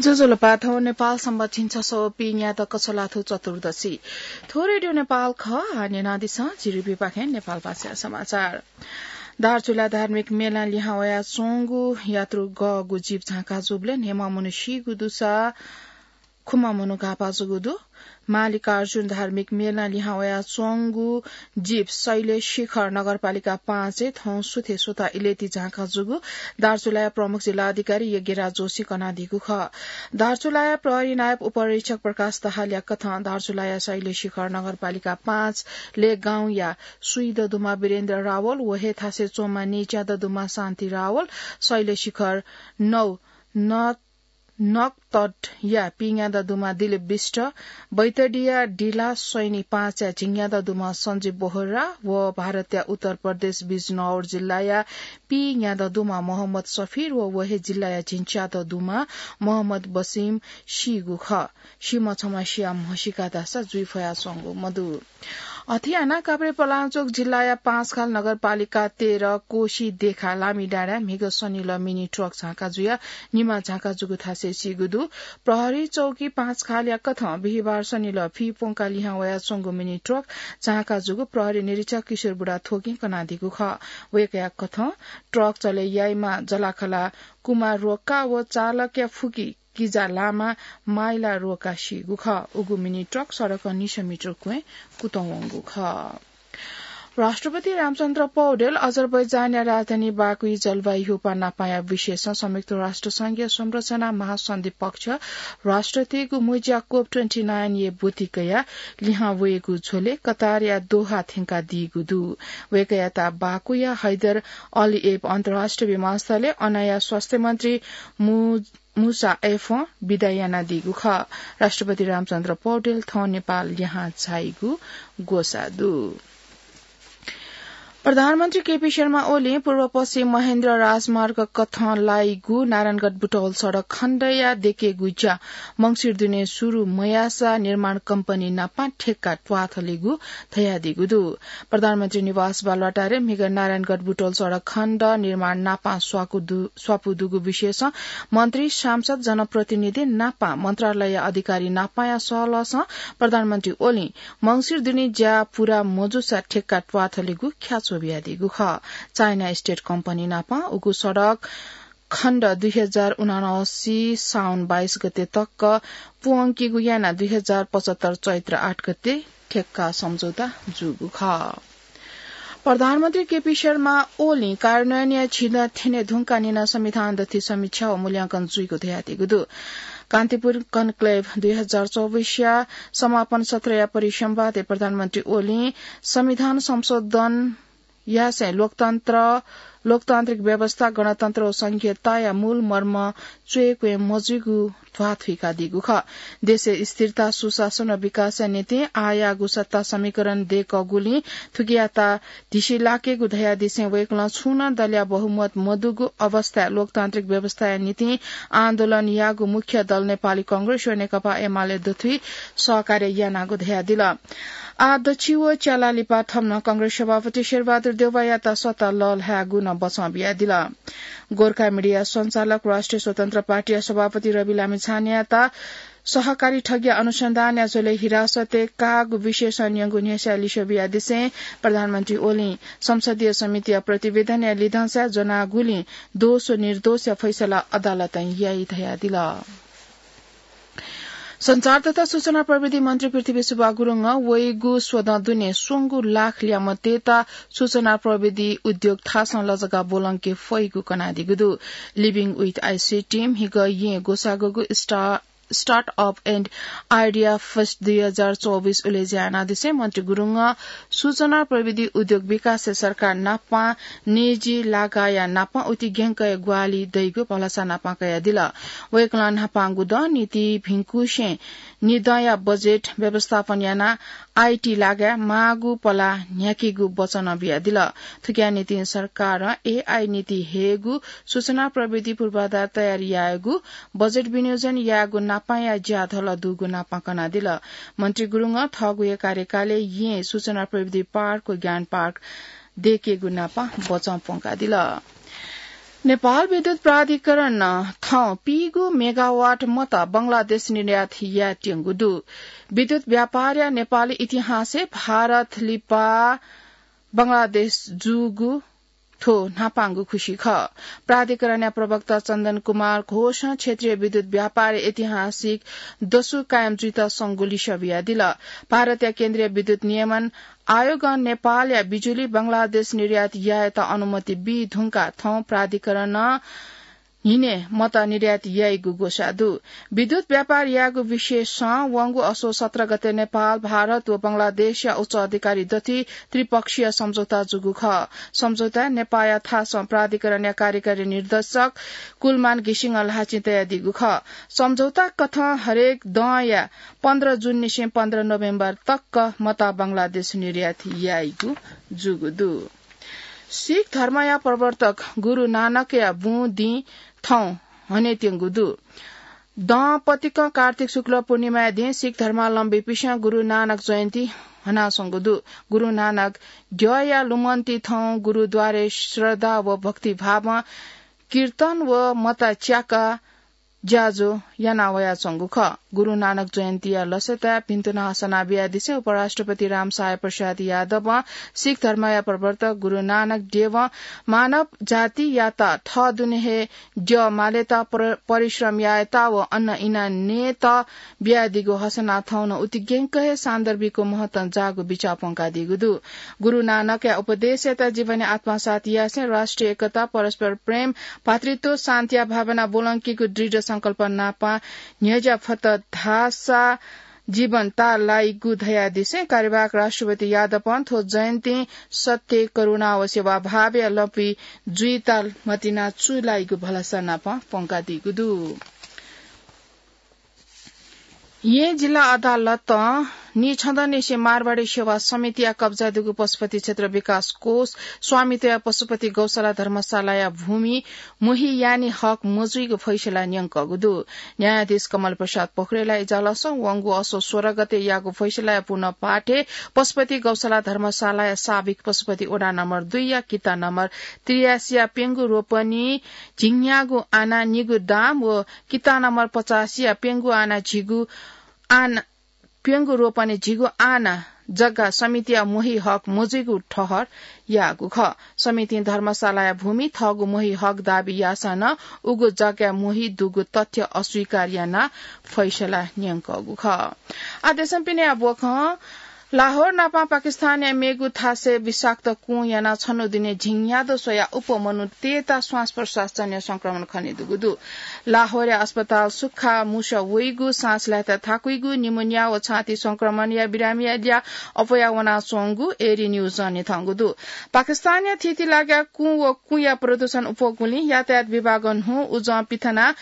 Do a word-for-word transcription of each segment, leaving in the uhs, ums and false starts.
ज्वजलपा, थौं नेपाल संवत झिंछसः व पीन्यादँ कछलाथ्व चतुर्दशी। थ्व रेडियो नेपाल खः। आः न्यनादिसँ झी रुपिपाखें नेपाल भाषा समाचार। दार्चुला धार्मिक मेलां लिहां वयाच्वंगु यात्रु गःगु जीप झांका जूबलय् न्हय्म्ह मनू सीगु दुसा खुम्ह मनू घाःपाः जूगु दु। मालिकार्जुन धार्मिक मेलां लिहां वयाच्वंगु जीप शैलेश शिखर नगरपालिका पाँचय् थौं सुथय् स्वता इलय्‌ति झांका जूगु दार्चुलाया प्रमुख जिल्ला अधिकारी यज्ञराज जोशीं कनादीगु खः। दार्चुलाया प्रहरी नायब उपरीक्षक प्रकाश दाहालया कथं दार्चुलाया शैलेश शिखर नगरपालिका पाँच लेगाउँया सुइदँ दुम्ह वीरेन्द्र रावल व हे थासय् च्वंम्ह नीच्यादँ दुम्ह शान्ति रावल, शैलेश शिखर नौ न नकतटया पीन्यादँ दुम्ह दिलीप विष्ट, बैतडीया डिला सैनी पाँचया झिंन्यादँ दुम्ह सञ्जीव बोहरा व भारतया उत्तर प्रदेश बिजनौर जिल्लाया पीन्यादँ दुम्ह मोहम्मद सफिर व व हे जिल्लाया झिंच्यादँ दुम्ह मोहम्मद बसिम सीगु खः। सीम्ह छम्ह सिया म्हसीका धाःसा जुइ फयाच्वंगु मदु। अथे यानाः काभ्रेपलाञ्चोक जिल्लाया पाँचखाल नगरपालिका तेह्र कोशी देखा लामिडाँडाय् म्हिगः सनिलः मिनी ट्रक झांका जुयाः निमा झांका जूगु थासय् सीगु दु। प्रहरी चौकी पाँचखालया कथं बिहिबार सनिलः फि प्वंकाः लिहां वयाच्वंगु मिनी ट्रक झांका जूगु प्रहरी निरीक्षक किशोर बुढाथोकीं कनादीगु खः। वय्‌कःया कथं ट्रक चले याइम्ह जलाखला कुमार रोक्का व चालकया फुक्क किजा लामा माइला रोक्का सीगु खः। उगु मिनी ट्रक सडकं निसः मिटर क्वँय् कुतुं वंगु खः। राष्ट्रपति रामचन्द्र पौडेल अजरबैजानया राजधानी बाकुइ जलवायु ह्यूपाः नापांया विषयसं संयुक्त राष्ट्र संघया संरचना महासन्धि पक्ष राष्ट्रतय्‌गु मुँज्या कोप ट्वेन्टी नाइनय् ब्वति कयाः लिहां वयेगु झ्वलय् कतारया दोहा थ्यंकादीगु दु। वय्‌कःयात बाकुया हैदर अलिएभ अन्तर्राष्ट्रिय विमानस्थलय् अनया स्वास्थ्य मन्त्री मु-, मुसा एफं बिदा यानादीगु खः। राष्ट्रपति रामचन्द्र पौडेल थौं नेपाल लिहां झाइगु ग्वसाः दु। प्रधानमन्त्री केपी शर्मा ओलीं पूर्व पश्चिम महेन्द्र राजमार्ग कथं लाइगु नारायणगढ बुटौल सडक खण्डया देकेगु ज्या मंसिर दुने सुरु मयाःसा निर्माण कम्पनी नापं ठेक्का त्वाथलेगु धयादीगु दु। प्रधानमन्त्री निवास बालुवाटारय् म्हिगः नारायणगढ बुटौल सडक खण्ड निर्माण नापं स्वाकु दु-, स्वापू दुगु विषयसं मन्त्री, सांसद, जनप्रतिनिधि नापं मन्त्रालय अधिकारी नापंया सहलहसं प्रधानमन्त्री ओलीं मंसिर दुने ज्या पूरा मजूसा ठेक्का त्वाथलेगु ख्याच्वः बियादीगु खः। चाइना स्टेट कम्पनी नापं उगु सडक खण्ड दुई हजार उनासी साउन बाइस गते तक प्वंकेगु यानाः दुई हजार पचहत्तर चैत्र आठ गते ठेक्का सम्झौता जूगु खः। प्रधानमन्त्री केपी शर्मा ओलीं कार्यान्वयनया झिदँ थ्यने धुंकाः निना संविधान दथुइ समीक्षा व मूल्यांकन जुइगु धयादीगु दु। कान्तिपुर कन्क्लेभ दुई हजार चौबिसया समापन सत्रया परिसम्वादय् प्रधानमन्त्री ओलीं संविधान संशोधन यासें लोकतन्त्र, लोकतान्त्रिक व्यवस्था, गणतन्त्र व संघीयताया मूल मर्म च्वय्‌क्वय् मजुइगु ध्वाथुइकादीगु खः। देशय् स्थिरता, सुशासन व विकासया निंतिं आःयाःगु सत्ता समीकरण दय्‌कःगुलिं थुकियात धिसिलाकेगु धयादिसें वय्‌कलं छुं नं दलया बहुमत मदुगु अवस्थाय् लोकतान्त्रिक व्यवस्थाया निंतिं आन्दोलन याःगु मुख्य दल नेपाली कांग्रेस व नेकपा एमाले दथुइ सहकार्य यानागु धयादिल। आः दच्छि व च्याला लिपा थम्हं कांग्रेस सभापति शेरबहादुर देउवायात सत्ता लःल्हायेगु नं बचं बियादिल। गोर्खा मिडिया सञ्चालक राष्ट्रिय स्वतन्त्र पार्टीया सभापति रवि लामिछानेयात सहकारी ठगीया अनुसन्धानया झ्वलय् हिरासतय् काःगु विषयसं न्यंगु न्ह्यसःया लिसः बियादिसें प्रधानमन्त्री ओलीं संसदीय समितिया प्रतिवेदनया लिधंसाय् ज्वनागुलिं दोष व निर्दोषया फैसला अदालतं याइ धयादिल। सञ्चार तथा सूचना प्रविधि मन्त्री पृथ्वी सुब्बा गुरुङं वइगु स्वदँ दुने स्वंगू लाख ल्याय्म्हतय्त सूचना प्रविधि उद्योग थासं लजगाः ब्वलंके फइगु कनादीगु दु। Living with ICT म्हिगः येँ ग्वसाःगु स्टा-, Startup and Idea Fest दुई हजार चौबिस उलेज्या यानादिसें मन्त्री गुरुङं सूचना प्रविधि उद्योग विकासय् सरकार नापं निजी लागाःया नापं उतिग्यंकय् ग्वाहालि दइगु भलसा नापं कयादिल। वय्कलं न्हापांगु दँ नीति भिंकुसें निदँया बजेट व्यवस्थापन यानाः आईटी लागाय् माःगु पलाः न्ह्याकेगु वचनं बियादिल। थुकिया निंतिं सरकारं एआई नीति हयेगु, सूचना प्रविधि पूर्वाधार तयार यायेगु, बजेट विनियोजन यायेगु नापंया ज्या धल दुगु नापं कनादिल। मन्त्री गुरुङं थःगु हे कार्यकालय् येँ सूचना प्रविधि पार्क व ज्ञान पार्क दयेकेगु नापं बचं प्वंकादिल। नेपाल विद्युत प्राधिकरणं थौं पीगु मेगावाट मत बंगलादेश निर्यात यायेत्यंगु दु। विद्युत व्यापारया नेपाली इतिहासय् भारत लिपा बंगलादेश जूगु थ्व न्हापांगु खुसी खः। प्राधिकरणया प्रवक्ता चन्दन कुमार घोषं क्षेत्रीय विद्युत व्यापार ऐतिहासिक दसु कायम जुइत संगु लिसः बियादिल। भारतया केन्द्रीय विद्युत नियमन आयोगं नेपालया बिजुली बंगलादेश निर्यात यायेत अनुमति बी धुंका थौं प्राधिकरणं न्हिनय् मत निर्यात याइगु ग्वसाः दु। विद्युत व्यापार यायेगु विषयसं वंगु असोज सत्र गते नेपाल, भारत व बंगलादेशया उच्च अधिकारी दथुइ त्रिपक्षीय सम्झौता जूगु खः। सम्झौताय् नेपाःया थासं प्राधिकरणया कार्यकारी निर्देशक कुलमान घिसिङं ल्हाःचिं तयादीगु खः। सम्झौता कथं हरेक दँया पन्ध्र जुननिसें पन्ध्र नोभेम्बर तक मत बंगलादेश निर्यात याइगु जूगु दु। सिख धर्मया प्रवर्तक गुरु नानकया बुँ दिं थौं हनेत्यंगु दु। दँ पतिकं कार्तिक शुक्ल पूर्णिमाया दिं सिख धर्मावलम्बीपिसं गुरु नानक जयन्ती हनाच्वंगु दु। गुरु नानक द्यःया लुमन्ति थौं गुरुद्वारय् श्रद्धा व भक्तिभावं कीर्तन व मता च्याका ज्याझ्वः याना वयाच्वंगु खः। गुरु नानक जयन्तीया लसताय् भिन्तुना हसना बियादिसें उपराष्ट्रपति रामसहाय प्रसाद यादवं सिख धर्मया प्रवर्तक गुरु नानक देवं मानव जातियात थः दुने हे द्यः मालेत प्र-, परिश्रम यायेत व अन्न इनाः नयेत बियादीगु हसना थौं नं उतिग्यंक हे सान्दर्भिक महत्वं जाःगु बिचाः प्वंकादीगु दु। गुरु नानकया उपदेशयात जीवनया आत्मसात यासें राष्ट्रिय एकता, परस्पर प्रेम, भातृत्व, शान्तिया भावना ब्वलंकीगु दृढ संकल्प नापं न्ह्यज्या फत धाःसा जीवन ताःलाइगु धयादिसें कार्यवाहक राष्ट्रपति यादवं थ्व जयन्तीं सत्य, करुणा व सेवाभावया लँपुइ जुइत मतिना चूलाइगु भलसा नापं प्वंकादीगु दु। येँ जिल्ला अदालतं नीछदँनिसें मारवाडी सेवा समितिया कब्जा दुगु पशुपति क्षेत्र विकास कोष स्वामित्वया पशुपति गौशाला धर्मशालाया भूमि मोही याने हक मजुइगु फैसला न्यंकःगु दु। न्यायाधीश कमल प्रसाद पोखरेलया इजालसं वंगु असोज सोह्र गते याःगु फैसलाया पुनः पाठय् पशुपति गौशाला धर्मशालाया साबिक पशुपति वडा नम्बर दुईया किता नम्बर त्रियासीया प्यंगू रोपनी झिंन्यागू आना निगू दाम व किता नम्बर पचासीया प्यंगू आना झिगू आना, प्यंगू रोपनी झिगू आना जग्गा समितिया मोही हक मजुइगु ठहर याःगु खः। समितिं धर्मशालाया भूमि थःगु मोही हक दाबी याःसां नं उगु जग्गाया मोही दुगु तथ्य अस्वीकार यानाः फैसला न्यंकःगु खः। आः देशं पिने आः ब्वखं लाहोर नापं पाकिस्तानया मेगु थासय् विषाक्त कुँ यानाः छन्हु दुने झिंन्यादँ स्वयाः अप्वः मनूतय्त श्वास प्रश्वासजन्य संक्रमण खनेदुगु दु। लाहोरया अस्पताल सुख्खा मुसः वइगु, श्वास लायेत थाकुइगु, निमोनिया व छाती संक्रमणया बिरामीया ल्याः अप्वया वनाच्वंगु एरी न्यूजं न्यंकूगु दु। पाकिस्तानया थीथी लागाय् कुँ व कुँया प्रदूषण अप्वःगुलिं यातायात विभागं न्हू उजं पिथनाः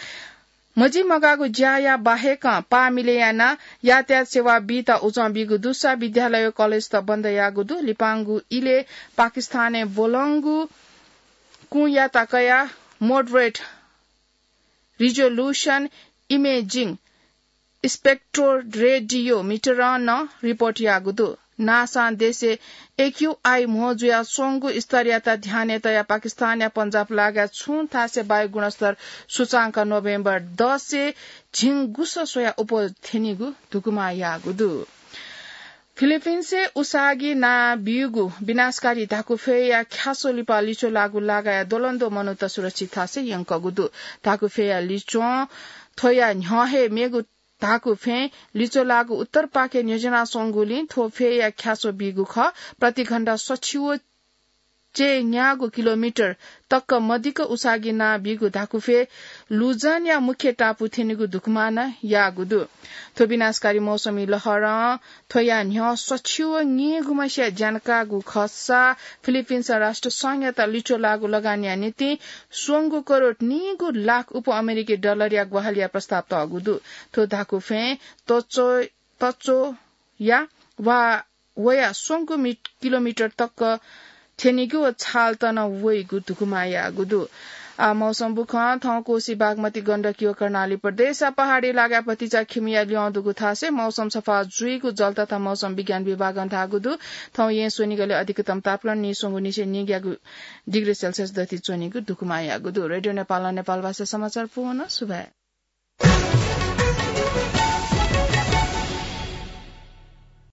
मजिमगाःगु ज्याया बाहेकं पाः मिले यानाः यातायात सेवा बीत उजं बीगु दुसा विद्यालय व कलेजत बन्द याःगु दु। लिपांगु इलय् पाकिस्तानय् ब्वलंगु कुँयात कयाः moderate resolution imaging spectral radiometer नं रिपोर्ट याःगु दु। नासां देशय् एक्यूआई म्हो जुयाच्वंगु स्तरयात ध्यानय् तयाः पाकिस्तानया पन्जाब लागाय् छुं थासय् वायु गुणस्तर सूचांक नोभेम्बर दसय् झिंगुसः स्वयाः अप्वः थ्यनीगु धुकुमा याःगु दु। फिलिपिन्सय् उसाँगि नां ब्यूगु विनाशकारी धाकुफ्वय्‌या ख्यासो लिपा लिच्वः लाःगु लागाय् द्वलंद्वः मनूत सुरक्षित थासय् यंकूगु दु। धाकुफ्वय्‌या लिच्वं थ्वया न्ह्यः हे मेगु धाकुफ्वय् लिच्वः लाःगु उत्तरपाखे न्ह्यज्यानाच्वंगुलिं थ्व फ्वय्‌या ख्यासो बीगु खः। प्रतिघण्टा सछि व च्यय्‌न्यागू किलोमिटर तक मदिक्क उसाँगि नां ब्यूगु धाकुफ्वय् लुजनया मुख्य टापु थ्यनीगु धुकुमा नं याःगु दु। थ्व विनाशकारी मौसमी लहरं थ्वया न्ह्यः सछि व न्यय्‌गुम्हस्या ज्या काःगु खःसा फिलिपिन्सं राष्ट्र संघयात लिच्वः लाःगु लगानया निंतिं स्वंगू करोड नीगू लाख उप अमेरिकी डलरया ग्वाहालिया प्रस्ताव तःगु दु। थ्व धाकुफ्वय् तच्वः, तच्वःया वा वया स्वंगू मि-, किलोमिटर तक थ्यनीगु व छालत नं वइगु धुकुमा याःगु दु। आ मौसम बुखं थौं कोसी बागमती गण्डकी व कर्णाली प्रदेश आ पहाडी लागा भतिचा खिमिया ल्यं दुगु थासे मौसम सफा जुइगु जलतथा मौसम विज्ञान विभागं धाःगु दु। थौं यें स्वनिगले अधिकतम तापक्रम निस्वंगु निसे निग्यागु डिग्री सेल्सियस दति च्वनीगु दुकुमायागु दु। रेडियो नेपाल नेपाल भाषा समाचार पूवन सुभाय्।